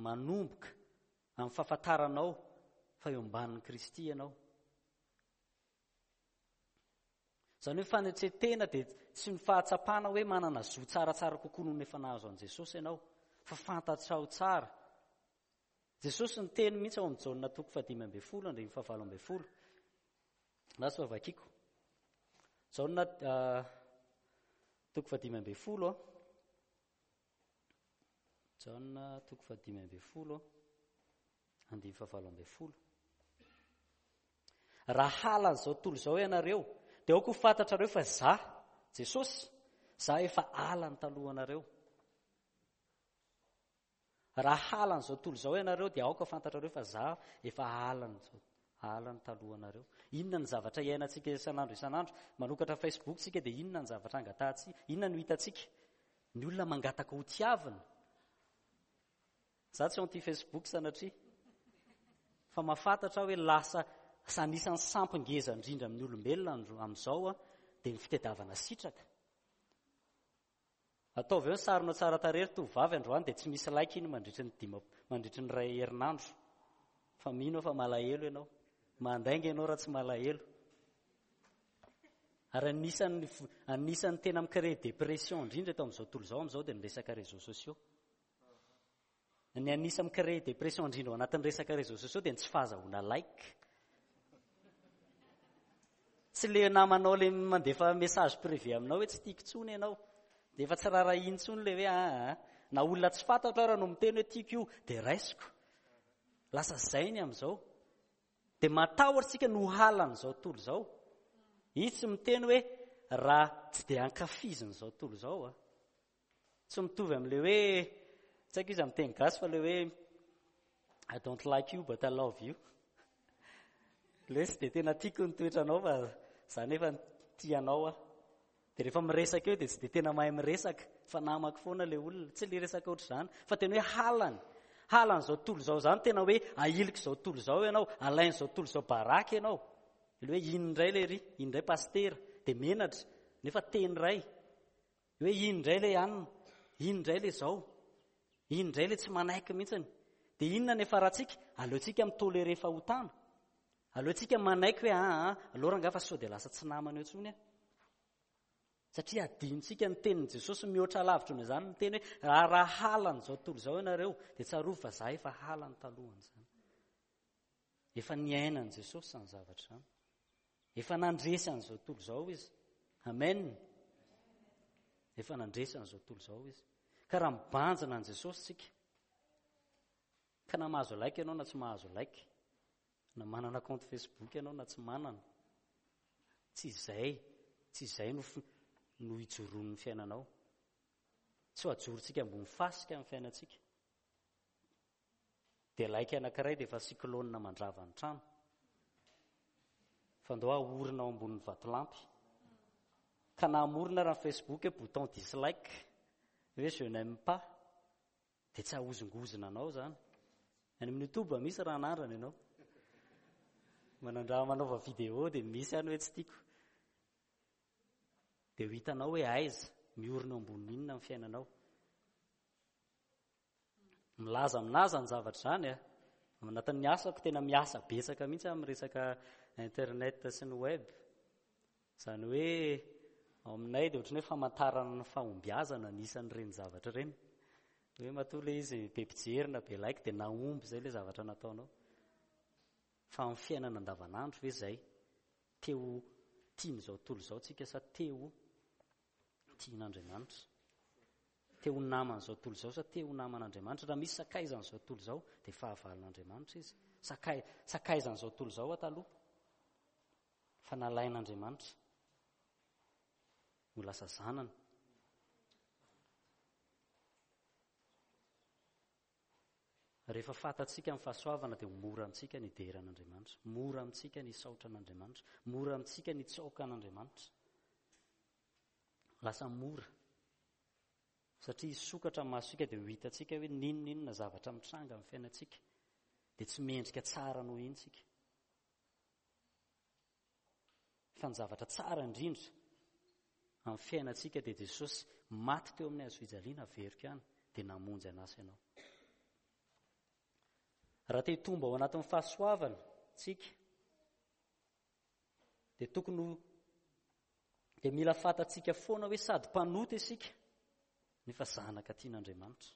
Manomboka amin'ny fahafantaranao fa eo ambanin'i Kristy ianao. Izany hoe fanetren-tena dia tsy ny fahatsapana hoe manana zo tsaratsara kokoa noho ny efa nahazo an'i Jesosy ianao, fa fantatrao tsara. Jesosy niteny mihitsy ao amin'ny Jaona toko fahadimy ambin'ny folo andininy fahavalo ambin'ny folo. Lasa fa vakiko. Jaona toko fahadimy ambin'ny folo. Jaona toko fahadimy ambin'ny folo andininy fahavalo ambin'ny folo. Raha halan'izao tontolo izao ianareo, dia aoka ho fantatrareo fa za, Jesosy, za efa halany talohanareo. Raha halan'izao tontolo izao ianareo, dia aoka ho fantatrareo fa za efa halan'izao halany talohanareo. Inona ny zavatra iainantsika isan'andro isan'andro? Manokatra Facebook tsika dia inona ny zavatra angatahantsika? Inona no hitantsika? Ny olona mangataka ho tiavina. Za tsy anti Facebook sanatria. Fa mahafantatra aho hoe lasa anisan'ny sampy ngeza indrindra amin'ny olombelona amin'izao dia ny fitadiavana sitraka. Ataovy eo ny sarinao tsara tarehy ry tovovavy androany dia tsy misy like iny mandritry ny dima mandritry ny iray herinandro. Fa mino aho fa malahelo ianao. Mandainga ianao raha tsy malahelo. Ary anisan'ny anisan'ny tena mi-créer dépression indrindra eto amin'izao tontolo izao amin'izao dia ny resaka réseaux sociaux. Ny anisan'ny mi-créer dépression indrindra ao anatin'ny resaka réseaux sociaux dia ny tsy fahazahoana like. Tsy le namanao le mandefa message privé aminao hoe tsy tiako intsony ianao. Dia efa tsy raharahiany intsony le hoe aa. Na olona tsy fantatro ara no miteny hoe tiako io dia raisiko. Lasa zay ny amin'izao. Dia matahotra isika no halan'izao tontolo izao. Izy tsy miteny hoe raha tsy dia ankafizin'izao tontolo izao a. Tsy mitovy amin'ilay hoe, tsy haiko izy amin'ny teny gasy fa ilay hoe I don't like you but I love you. Ilay hoe tsy dia tena tiako ny toetranao fa za nefa tia anao aho. Dia rehefa miresaka eo dia tsy dia tena mahay miresaka fa namako foana ilay olona. Tsy ilay resaka ohatr'izany fa tena hoe halany. Halan'izao tontolo izao izany tena hoe ahilik'izao tontolo izao ianao, alain'izao tontolo izao baraka ianao. Ilay hoe iny indray ilay ry, iny indray pasitera, dia menatra nefa teny iray. Hoe iny indray ilay anona, iny indray ilay izao, iny indray ilay tsy manaiky mihitsiny. Dia inona ny hiafarantsika? Aleontsika mi-tolérer fahotana. Aleontsika manaiky hoe aa, aleo rangahy fa sao dia lasa tsy namana eo intsony aho. Satria adinontsika ny tenin'i Jesosy mihoatra lavitra noho izany miteny hoe raha raha halan'izao tontolo izao ianareo dia tsarovy fa za efa halany talohan'izany. Efa niainan'i Jesosy izany zavatra izany. Efa nandresy an'izao tontolo izao izy. Amen. Efa nandresy an'izao tontolo izao izy. Ka raha mibanjina an'i Jesosy tsika, ka na mahazo like ianao na tsy mahazo like, na manana compte Facebook ianao na tsy manana, tsy izay, tsy izay no no ijoroan'ny fiainanao. Tsy ho ajorontsika ambony fasika ny fiainantsika. Dia like anankiray dia efa cyclone mandrava ny trano. Fa ndao ahorina ao ambonin'ny vatolampy. Ka na hamorona raha ny Facebook hoe bouton dislike, hoe je n'aime pas, dia tsy hahozongozona anao izany. Any amin'ny YouTube misy raha anandrana ianao. Manandraha manaova vidéo dia misy any hoe tsy tiako. Dia ho hitanao hoe aiza, miorina eo ambonin'ny inona ny fiainanao. Milaza aminà izany zavatra izany a. Ao anatin'ny asako tena miasa betsaka mihitsy amin'ny resaka internet sy ny web. Izany hoe ao aminay dia ohatran'ny hoe famantarana ny fahombiazana ny isan'ireny zavatra ireny. Hoe matoa ilay izy be mpijery na be like dia nahomby izay ilay zavatra nataonao. Fa amin'ny fiainana andavanandro ve izay? Te ho tian'izao tontolo izao tsika sa te ho tian'Andriamanitra? Te ho naman'izao tontolo izao sa te ho naman'Andriamanitra? Raha misy sakaizan'izao tontolo izao dia fahavalon'Andriamanitra izy. Sakay, sakaizan'izao tontolo izao aho taloha. Fa nalain'Andriamanitra ho lasa zanany. Rehefa fantatsika ny fahasoavana dia ho mora amintsika ny hidera an'Andriamanitra, mora amintsika ny hisaotra an'Andriamanitra, mora amintsika ny hitsaoka an'Andriamanitra. Lasa mora. Satria hisokatra ny masontsika dia ho hitantsika hoe n'inon'inona zavatra mitranga amin'ny fiainantsika dia tsy mendrika tsara noho iny tsika. Fa ny zavatra tsara indrindra amin'ny fiainantsika dia Jesosy maty teo amin'ny hazo fijaliana averiko ihany dia namonjy an'asa ianao. Raha te hitombo ao anatin'ny fahasoavana tsika dia tokony ho dia mila fantatsika foana hoe sady mpanota isika nefa zanaka tian'Andriamanitra.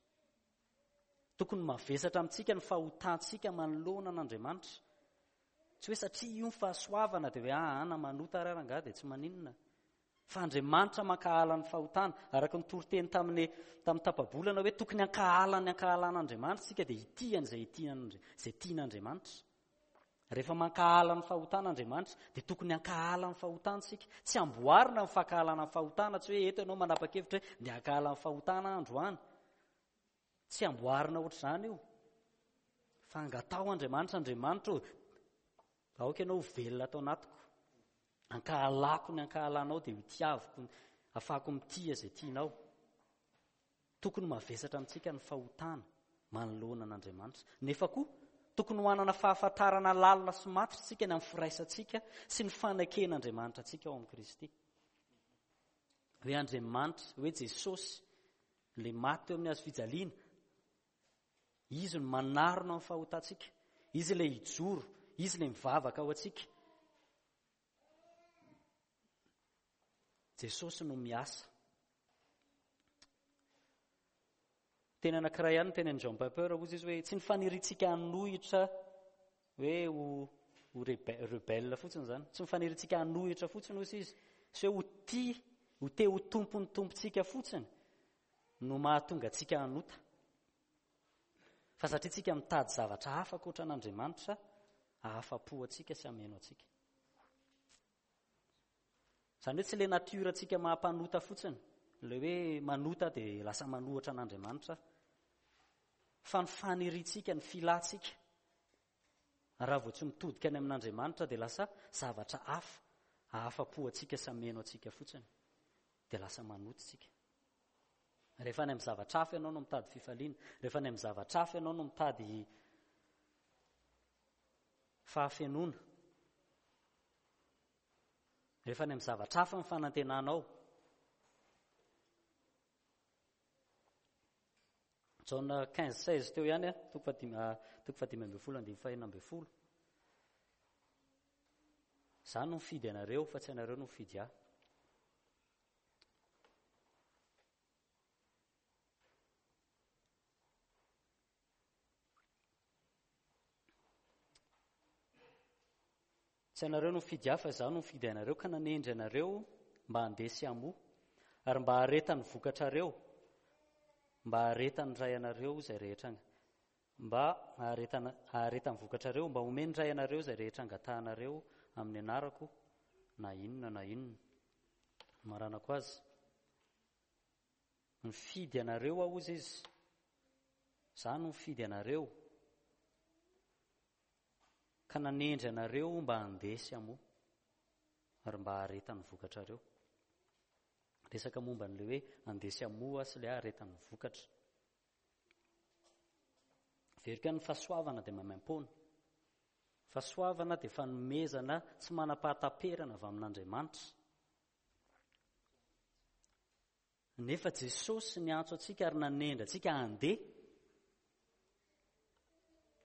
Tokony mavesatra amintsika ny fahotantsika manoloana an'Andriamanitra. Tsy hoe satria io ny fahasoavana dia hoe aa ah, na manota ary rangahy dia tsy maninona. Fa Andriamanitra mankahala ny fahotana. Araka ny toriteny tamin'ny tamin'ny tapa-bolana hoe tokony hankahala ny ankahalan'Andriamanitra isika dia hitia an'izay izay tian'Andriamanitra. Rehefa mankahala ny fahotana Andriamanitra dia tokony hankahala ny fahotana isika. Tsy amboarina ny fankahalana ny fahotana, tsy hoe eto ianao manapa-kevitra hoe ndeha hankahala ny fahotana androany. Tsy amboarina ohatr'izany io. Fa angataho Andriamanitra, Andriamanitra ô, aoka ianao ho velona ato anatiko. Ankahalako ny ankahalanao dia ho tiaviko, afahako mitia izay tianao. Tokony mavesatra amintsika ny fahotana manoloana an'Andriamanitra. Nefa koa, tokony ho hanana fahafantarana lalina sy matotra isika ny amin'ny firaisantsika sy ny faneken'Andriamanitra antsika ao amin'i Kristy. Hoe Andriamanitra, hoe Jesosy, ilay maty teo amin'ny hazo fijaliana, Izy no manarona ny fahotantsika. Izy ilay hijoro, Izy ilay mivavaka ho antsika. Jesosy no miasa. Teny anankiray ihany ny tenin'i Jean Piper, hozy izy hoe tsy ny faniriantsika hanohitra hoe ho ho rebelle fotsiny izany. Tsy ny faniriantsika hanohitra fotsiny hozy izy, sy hoe ho tia, ho te ho tompon'ny tompontsika fotsiny no mahatonga antsika hanota. Fa satria tsika mitady zavatra hafa ankoatra an'Andriamanitra hahafa-po antsika sy hameno antsika. Izany hoe tsy ilay nature antsika maha mpanota fotsiny, ilay hoe manota dia lasa manohitra an'Andriamanitra, fa ny faniriantsika, ny filantsika, raha vao tsy mitodika any amin'Andriamanitra dia lasa zavatra hafa, hahafa-po antsika sy hameno antsika fotsiny. Dia lasa manoto isika. Rehefa any amin'ny zavatra hafa ianao no mitady fifaliana, rehefa any amin'ny zavatra hafa ianao no mitady fahafenoana, rehefa any amin'ny zavatra hafa ny fanantenanao, Jaona 15 16 teo ihany, toko fahadimy ah, toko fahadimy ambin'ny folo andininy fahenina ambin'ny folo. Za no mifidy anareo fa tsy anareo no mifidy ahy. Tsy ianareo no nifidy ahy fa izaho no nifidy anareo ka nanendry anareo mba handeha sy hamoa ary mba haharetan'ny vokatrareo, mba haharetan'ny Ray anareo izay rehetra mba haharetana haharetan'ny vokatrareo, mba homen'ny Ray anareo izay rehetra angatahanareo amin'ny anarako na inona na inona. Maranako azy. Nifidy anareo aho hozy izy. Izaho no nifidy anareo. Ka nanendry anareo mba handeha sy hamoa, ary mba haharetan'ny vokatrareo. Resaka momba an'ilay hoe handeha sy hamoa sy ilay haharetan'ny vokatra. Verika ny fahasoavana dia maimaimpoana. Fahasoavana dia fanomezana tsy manam-pahataperana avy amin'Andriamanitra. Nefa Jesosy niantso antsika ary nanendry antsika handeha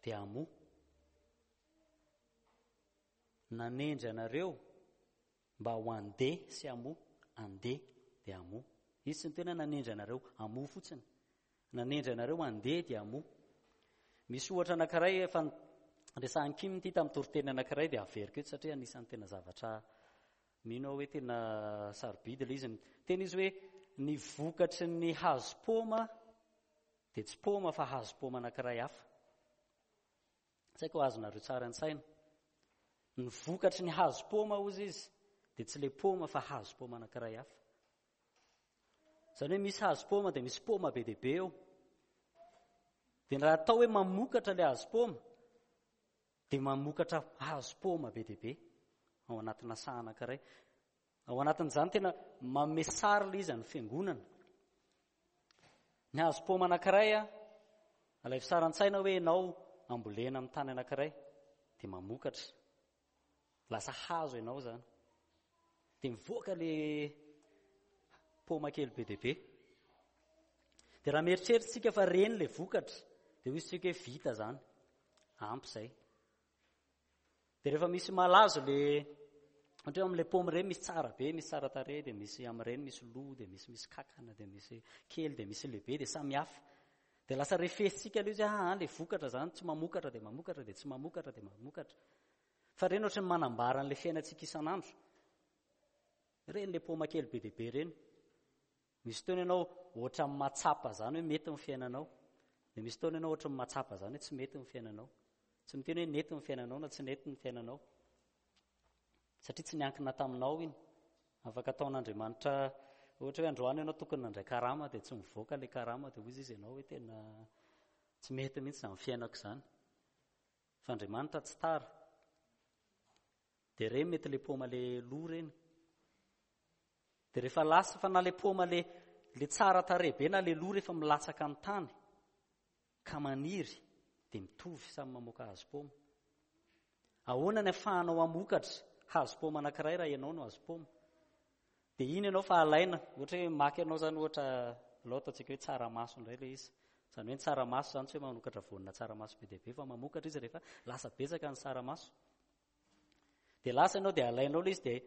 dia hamoa. Nanendry anareo mba ho handeha sy hamoa, handeha dia hamoa. Izy tsy niteny hoe nanendry anareo hamoa fotsiny. Nanendry anareo handeha dia hamoa. Misy ohatra anankiray efa resahan'i Kim ity tamin'ny toriteny anankiray dia averiko eto satria anisan'ny tena zavatra Mino aho hoe tena sarobidy ilay izy. Miteny izy hoe ny vokatry ny hazo paoma dia tsy paoma fa hazo paoma anankiray hafa. Tsy haiko azonareo tsara an-tsaina. Ny vokatry ny hazo paoma hozy izy dia tsy ilay paoma fa hazo paoma anankiray hafa. Izany hoe misy hazo paoma dia misy paoma be dia be eo. Dia raha atao hoe mamokatra ilay hazo paoma dia mamokatra hazo paoma be dia be ao anatina saha anankiray. Ao anatin'izany tena manome sary ilay izy an'ny fiangonana. Ny hazo paoma anankiray a, alaivo sary an-tsaina hoe ianao ambolena amin'ny tany anankiray dia mamokatra. Lasa hazo ianao izany. Dia mivoaka le paoma kely be dia be. Dia raha mieritreritra isika fa reny le vokatra, dia hoy isika hoe vita izany. Ampy izay. Dia rehefa misy malazo le ohatra hoe amin'ilay paoma ireny misy tsara be, misy tsara tarehy, dia misy amin'ireny misy lo, dia misy misy kakana, dia misy kely, dia misy lehibe, dia samy hafa. Dia lasa refesintsika ilay izy, ah, ilay vokatra izany tsy mamokatra dia mamokatra dia tsy mamokatra dia mamokatra. Fa ireny ohatran'ny manambara an'ilay fiainantsika isan'andro. Ireny ilay paoma kely be dia be ireny. Misy fotoana ianao ohatran'ny mahatsapa izany hoe mety ny fiainanao. Dia misy fotoana ianao ohatran'ny mahatsapa izany hoe tsy mety ny fiainanao. Tsy miteny hoe nety ny fiainanao na tsy nety ny fiainanao. Satria tsy niankina taminao iny. Afaka ataon'Andriamanitra ohatra hoe androany ianao tokony nandray karama dia tsy mivoaka ilay karama dia hoy izy ianao hoe tena tsy mety mihitsy izany fiainako izany. Fa Andriamanitra tsy tara. Dia ireny mety ilay paoma ilay lo ireny. Dia rehefa lasa fa na ilay paoma ilay ilay tsara tarehy be na ilay lo rehefa milatsaka amin'ny tany ka maniry dia mitovy samy mamoaka hazo paoma. Ahoana ny afahanao hamokatra hazo paoma anankiray raha ianao no hazo paoma? Dia iny ianao fa alaina, ohatra hoe maka ianao izany ohatra, alao ataontsika hoe tsaramaso indray ilay izy. Izany hoe ny tsaramaso izany tsy hoe manokatra voanina tsaramaso be dia be fa mamokatra izy rehefa lasa betsaka ny tsaramaso. Dia lasa ianao dia alainao ilay izy dia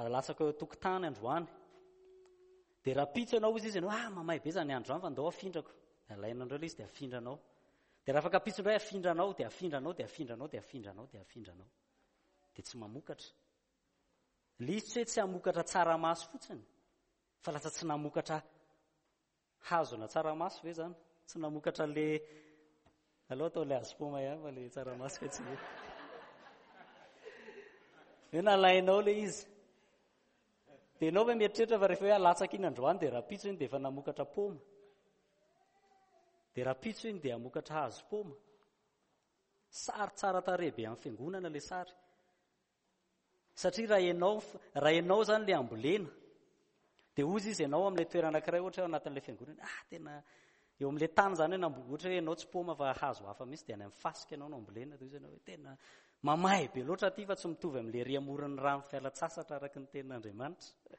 alatsaka eo an-tokotany androany. Dia rahampitso ianao hozy izy ianao, ah mamay be izany andro izany fa ndao afindrako. Dia alainao indray ilay izy dia afindranao. Dia raha afaka ampitso indray afindranao, dia afindranao, dia afindranao, dia afindranao, dia afindranao. Dia tsy mamokatra. Ilay izy tsy hoe tsy hamokatra tsaramaso fotsiny, fa lasa tsy namokatra hazona tsaramaso ve izany? Tsy namokatra le aloha atao le hazo paoma ihany fa le tsaramaso ve tsy mety. Hoe nalainao le izy. Dia ianao ve mieritreritra fa rehefa hoe alatsaka iny androany dia rahampitso iny dia efa namokatra paoma. Dia rahampitso iny dia hamokatra hazo paoma. Sary tsara tarehy be amin'ny fiangonana ilay sary. Satria raha ianao, raha ianao izany ilay ambolena, Dia hozy izy ianao amin'ilay toerana anankiray ohatra hoe ao anatin'ilay fiangonana, ah tena eo amin'ilay tany izany hoe nambo- ohatra hoe ianao tsy paoma fa hazo hafa mihitsy dia any amin'ny fasika ianao no ambolena, dia hozy ianao hoe tena mamay be loatra aty fa tsy mitovy amin'ilay ery amoron'ny rano fialan-tsasatra araka ny tenin'Andriamanitra.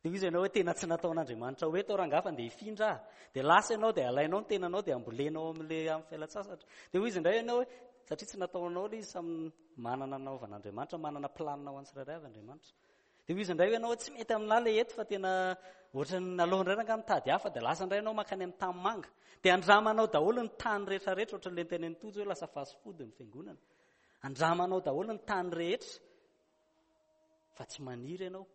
Dia hozy ianao hoe tena tsy nataon'Andriamanitra ho eto aho rangahy fa ndeha hifindra aho. Dia lasa ianao dia alainao ny tenanao dia ambolenao amin'ilay amin'ny fialan-tsasatra. Dia hoy izy indray ianao hoe satria tsy nataonao ilay izy, samy manana nanaovan'Andriamanitra, manana planina ho an'ny tsirairay avy Andriamanitra. Dia hoy izy indray hoe ianao tsy mety aminà ilay eto fa tena ohatran'ny aleo indray rangahy mitady hafa dia lasa indray ianao mankany amin'ny tany manga. Dia andramanao daholo ny tany rehetrarehetra ohatran'ilay nitenenin'i Tojo hoe lasa fast food ny fiangonana. Andramanao daholo ny tany rehetra fa tsy maniry ianao.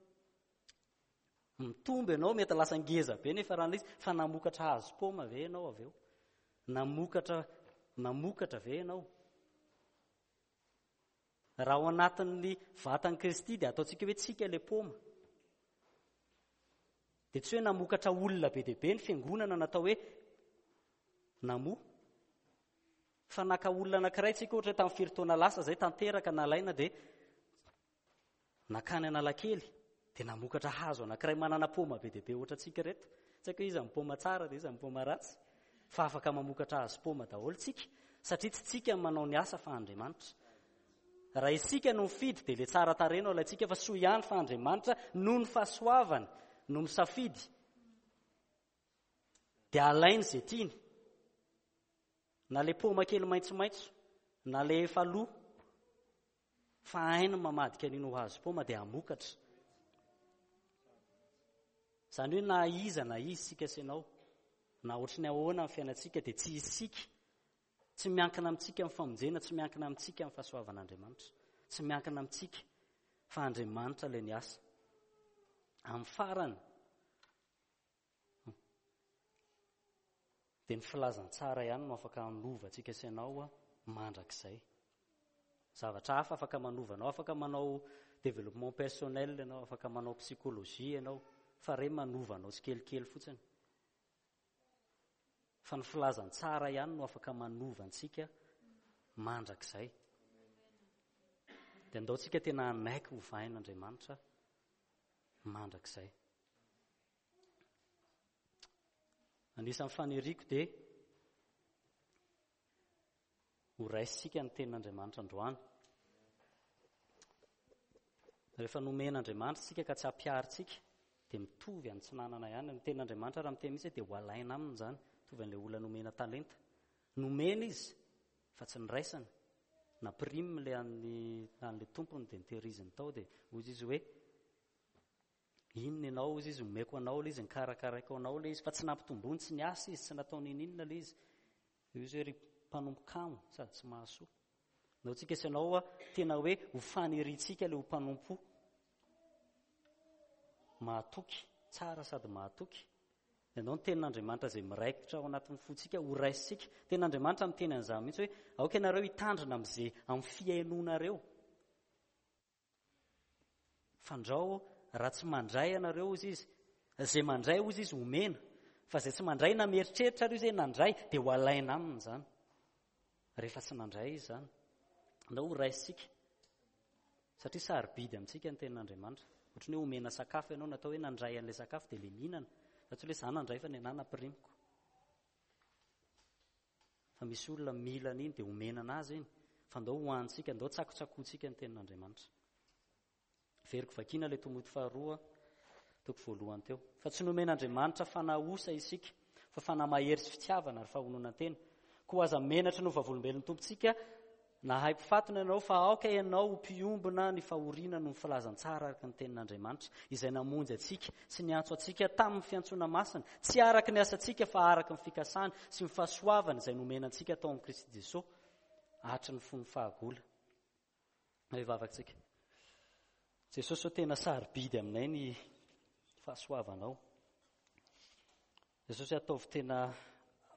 Mitombo ianao, mety lasa ngeza be nefa raha izy fa namokatra hazo paoma ve ianao avy eo? Namokatra namokatra ve ianao? Raha ao anatin'ny vatan'i Kristy dia ataontsika hoe tsika ilay paoma. Dia tsy hoe namokatra olona be dia be ny fiangonana natao hoe namoa. Fa naka olona anankiray tsika ohatra hoe tamin'ny firy taona lasa izay tanteraka nalaina dia nakany Analakely dia namokatra hazo anankiray manana paoma be dia be ohatra antsika ireto. Tsy haiko hoe iza ny paoma tsara dia iza ny paoma ratsy. Fa afaka mamokatra hazo paoma daholo tsika satria tsy tsika no manao ny asa fa Andriamanitra. Raha isika no mifidy dia ilay tsara tarehy no alaintsika fa soa ihany fa Andriamanitra noho ny fahasoavany no misafidy dia alainy izay tiany. Na ilay paoma kely maitsomaitso na ilay efa lo Fa hainy ny mamadika an'iny ho hazo paoma dia hamokatra. Izany hoe na iza na iza isika sy ianao, na ohatry ny ahoana ny fiainantsika dia tsy isika, tsy miankina amintsika ny famonjena, tsy miankina amintsika ny fahasoavan'Andriamanitra, tsy miankina amintsika fa Andriamanitra ilay niasa. Amin'ny farany dia ny filazantsara ihany no afaka hanova antsika sy ianao mandrakizay. Zavatra hafa afaka manova anao, afaka manao développement personnel ianao, afaka manao psychologie ianao, fa re manova anao tsikelikely fotsiny. Fa ny filazantsara ihany no afaka manova antsika mandrakizay. Dia andao tsika tena hanaiky hovain'Andriamanitra mandrakizay. Anisan'ny faniriako dia ho raisintsika ny tenin'Andriamanitra androany. Rehefa nomen'Andriamanitra isika ka tsy ampiharintsika dia mitovy amin'ny tsy nanana ihany. Ny tenin'Andriamanitra raha miteny mihitsy dia ho alaina aminy izany. Mitovy an'ilay olona nomena talenta. Nomena izy fa tsy niraisany. Nampiriminy ilay an'ny an'ilay tompony dia nitehiriziny tao dia hoy izy hoe Inona ianao hozy izy, omeko anao ilay izy, nikarakaraiko anao ilay izy, fa tsy nampitomboiny, tsy niasa izy, tsy natao n'inon'inona ilay izy. Io izy hoe ry mpanompo kamo sady tsy mahasoa. Ndao tsika sy ianao tena hoe ho faniriantsika ilay ho mpanompo mahatoky, tsara sady mahatoky. Ianao ny tenin'Andriamanitra izay miraikitra ao anatin'ny fontsika ho raisintsika. Tenin'Andriamanitra miteny an'izany mihitsy hoe aoka ianareo hitandrina amin'izay amin'ny fihainoanareo. Fandrao raha tsy mandray ianareo hozy izy, izay mandray hozy izy omena, fa izay tsy mandray na mieritreritra ary izy hoe nandray dia ho alaina aminy izany. Rehefa tsy nandray izy izany. Andao ho raisintsika. Satria sarobidy amintsika ny tenin'Andriamanitra. Ohatran'ny hoe omena sakafo ianao, natao hoe nandray an'ilay sakafo dia ilay mihinana. Fa tsy hoe za nandray fa ny anah nampirimiko. Fa misy olona mila an'iny dia omena anazy iny. Fa ndao hohanintsika, ndao tsakotsakoantsika ny tenin'Andriamanitra. Veriko vakiana ilay Timoty faharoa, toko voalohany teo. Fa tsy nomen'Andriamanitra fanahy osa isika, fa fanahy mahery sy fitiavana ary fahononan-tena. Koa aza menatra ny ho vavolombelon'ny Tompontsika Nahay mpifatona ianao, fa aoka ianao ho mpiombona ny fahoriana noho ny filazantsara araka ny tenin'Andriamanitra, izay namonjy antsika sy niantso antsika tamin'ny fiantsoana masina, tsy araka ny asantsika fa araka ny fikasany sy ny fahasoavany izay nomena antsika tao amin'i Kristy Jesoa hatry ny fony fahagola. Hivavaka isika. Jesosy ô, tena sarobidy aminay ny fahasoavanao. Jesosy ataovy tena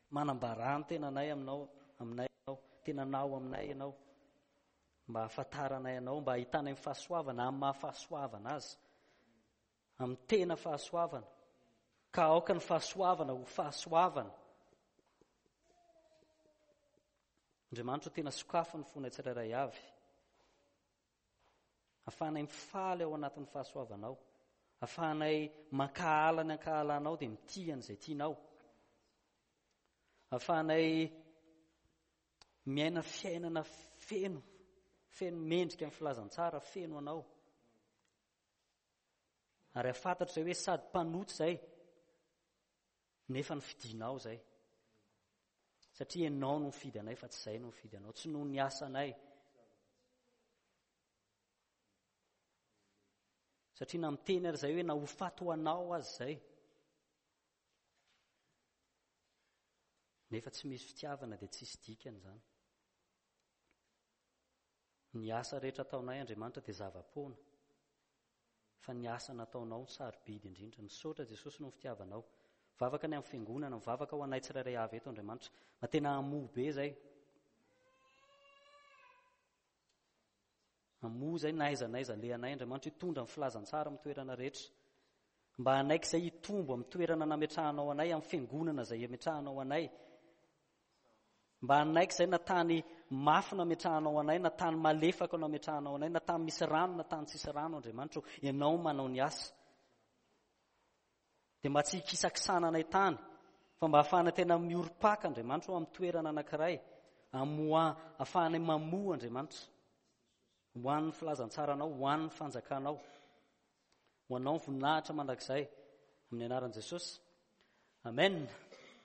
manambarà ny tenanay aminao, aminay ianao, tenanao aminay ianao, mba hahafantaranay anao, mba hahitanay ny fahasoavana amin'ny maha fahasoavana azy, amin'ny tena fahasoavana. Ka aoka ny fahasoavana ho fahasoavana. Andriamanitra tena sokafy ny fonay tsirairay avy. Afahanay mifaly ao anatin'ny fahasoavanao. Ahafahanay mankahala ny ankahalanao dia mitia an'izay tianao. Ahafahanay miaina fiainana feno, feno mendrika ny filazantsara, feno anao. Ary hahafantatra izay hoe sady mpanota izay, nefa ny fidinao izay. Satria ianao no mifidy anay fa tsy izay no mifidy anao, tsy noho ny asanay. Satria na miteny ary izay hoe na ho faty ho anao aza izay. Nefa tsy misy fitiavana dia tsisy dikany izany. Ny asa rehetra ataonay Andriamanitra dia zava-poana fa ny asa nataonao no sarobidy indrindra. Misaotra Jesosy noho ny fitiavanao. Mivavaka ny amin'ny fiangonana, mivavaka ho anay tsirairay avy eto Andriamanitra. Mba tena hamoa be izay. Hamoa izay na aiza na aiza alehanay Andriamanitra hitondra ny filazantsara amin'ny toerana rehetra. Mba hanaiky izay hitombo amin'ny toerana nametrahanao anay, amin'ny fiangonana izay ametrahanao anay. Mba hanaiky izay na tany mafy nametrahanao anay, na tany malefaka nametrahanao anay, na tany misy rano, na tany tsisy rano, Andriamanitra ô, Ianao manao ny asa. Dia mba tsy hikisakisana anay tany, fa mba hahafahana tena miorim-paka, Andriamanitra ô, amin'ny toerana anankiray, amoa, ahafahanay mamoa, Andriamanitra, ho an'ny filazantsaranao, ho an'ny fanjakanao. Ho anao ny voninahitra mandrakizay, amin'ny anaran'i Jesosy. Amen.